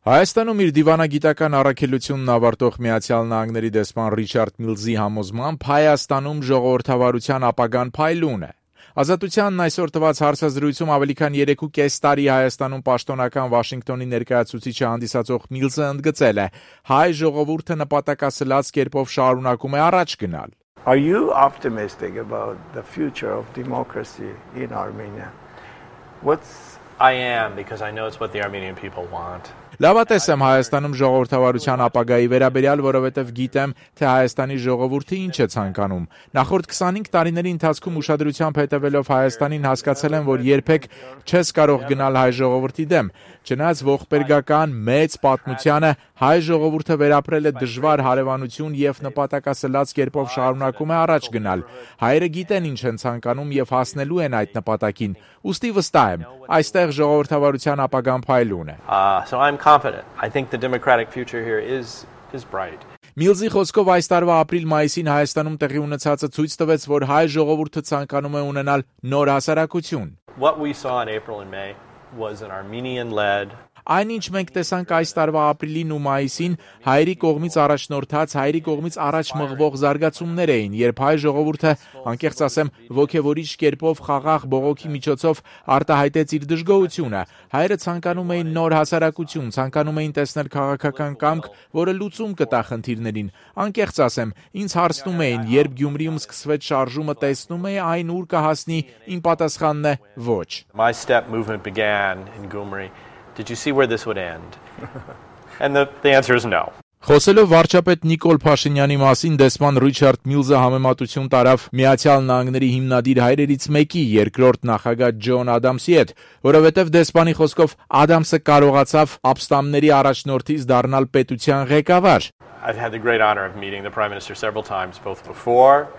Հայաստանում իր դիվանագիտական առաքելությունն ավարտող Միացյալ Նահանգների դեսպան Ռիչարդ Միլզի համոզմամբ Հայաստանում ժողովրդավարության ապագան փայլուն է։ Ազատությանն այսօր տված հարցազրույցում ավելի քան 3.5 տարի Հայաստանում պաշտոնական Վաշինգտոնի ներկայացուցիչը հանդիսացող Միլզը ընդգծել է. հայ ժողովուրդը նպատակասլաց կերպով շարունակում է առաջ գնալ։ Are you optimistic about the future of democracy in Armenia? I am, because I know it's what the Armenian people want. Լավատես եմ Հայաստանում ժողովրդավարության ապագայի վերաբերյալ, որովհետև գիտեմ, թե Հայաստանի ժողովուրդը ինչ է ցանկանում։ Նախորդ 25 տարիների ընթացքում ուշադրությամբ հետևելով Հայաստանին հասկացել եմ, որ երբեք չես կարող գնալ հայ ժողովրդի դեմ։ Չնայած ողբերգական մեծ պատմությանը հայ ժողովուրդը վերապրել է դժվար հարևանություն եւ նպատակասլաց կերպով շարունակում է առաջ գնալ։ Հայերը գիտեն ինչ են ցանկանում եւ հասնելու են այդ նպատակին։ Ուստի վստահ եմ, այստեղ ժողովրդավարության ապագան փայլուն է։ So I'm confident. I think the democratic future here is bright. Միլզի խոսքով այս տարվա ապրիլ-մայիսին Հայաստանում տեղի ունեցածը ցույց տվեց, որ հայ ժողովուրդը ցանկանում է ունենալ նոր հասարակություն։ What we saw in April and May was an Armenian-led Այնինչ մենք տեսանք այս տարվա ապրիլին ու մայիսին հայերի կողմից առաջնորդած, հայերի կողմից առաջ մղվող զարգացումներ էին, երբ հայ ժողովուրդը, անկեղծ ասեմ, ոգևորիչ կերպով խաղաղ բողոքի միջոցով արտահայտեց իր դժգոհությունը։ Հայերը ցանկանում էին նոր հասարակություն, ցանկանում էին տեսնել քաղաքական կամք, որը լուծում կտա խնդիրներին։ Անկեղծ ասեմ, ինձ հարցնում էին, երբ Գյումրիում սկսվեց շարժումը, տեսնում էի այն ուր կհասնի, իմ պատասխանն է՝ ոչ։ My step movement began in Gyumri. Did you see where this would end? And the answer is no. Խոսելով վարչապետ Նիկոլ Փաշինյանի մասին դեսպան Ռիչարդ Միլզը համեմատություն տարավ Միացյալ Նահանգների հիմնադիր հայրերից մեկի երկրորդ նախագահ Ջոն Ադամսի հետ, որովհետև դեսպանի խոսքով Ադամսը կարողացավ ապստամբների առաջնորդից դառնալ պետության ղեկավար։ I've had the great honor of meeting the Prime Minister several times, both before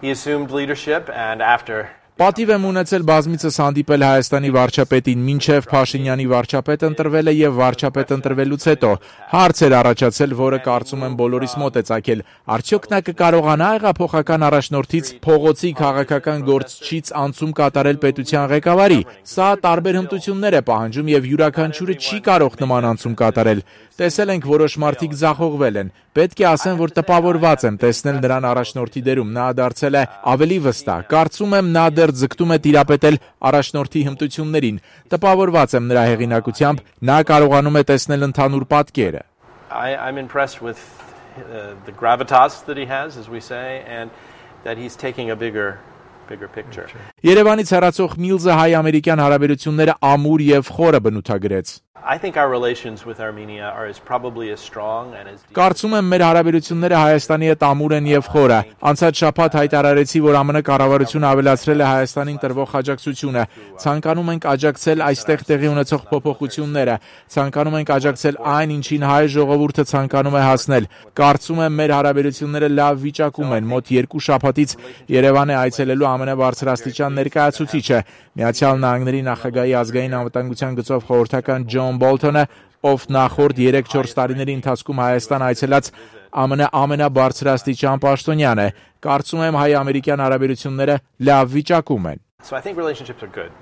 he assumed leadership and after. Պատիվ եմ ունեցել բազմիցս հանդիպել Հայաստանի վարչապետին, մինչև Փաշինյանի վարչապետ ընտրվելը եւ վարչապետ ընտրվելուց հետո հարց էր առաջացել, որը կարծում եմ բոլորիս մոտ է ծագել։ Արդյոք նա կկարողանա հեղափոխական առաջնորդից փողոցի քաղաքական գործչից անցում կատարել պետության ղեկավարի։ Սա տարբեր հմտություններ է պահանջում եւ յուրաքանչյուրը չի կարող նման անցում կատարել։ Տեսել ենք որոշ մարդիկ ձախողվել են։ Պետք է ասեմ, որ տպավորված եմ տեսնել նրան առաջնորդի դերում։ Նա դարձել է ավելի վստահ։ Կարծում եմ նա դեռ ձգտում է տիրապետել առաջնորդի հմտություններին։ Տպավորված եմ նրա հեղինակությամբ, նա կարողանում է տեսնել ընդհանուր պատկերը։ I'm impressed with the gravitas that he has, as we say, and that he's taking a bigger picture. Երևանից հեռացող Միլզը հայ-ամերիկյան հարաբերությունները ամուր եւ խորը բնութագրեց։ I think our relations with Armenia are probably as strong and as deep. Կարծում եմ մեր հարաբերությունները Հայաստանի հետ ամուր են եւ խորը։ Անցած շաբաթ հայտարարեցի, որ ԱՄՆ կառավարությունը ավելացրել է Հայաստանին տրվող աջակցությունը։ Ցանկանում ենք աջակցել այստեղ տեղի ունեցող փոփոխությունները։ Ցանկանում ենք աջակցել այն, ինչին հայ ժողովուրդը ցանկանում է հասնել։ Կարծում եմ մեր հարաբերությունները լավ վիճակում են։ Մոտ 2 շաբաթից Երևան է այցելելու ԱՄՆ բարձրաստիճան ներկայացուցիչը, Միացյալ Նահանգների նախագահի ազգային անվտանգության գծով խորհրդական Ջոն Բոլթոնը, ով նախորդ 3-4 տարիների ընթացքում Հայաստան այցելած ԱՄՆ ամենաբարձրաստիճան պաշտոնյան է։ Կարծում եմ հայ-ամերիկյան հարաբերությունները լավ վիճակում են։ So I think relationships are good.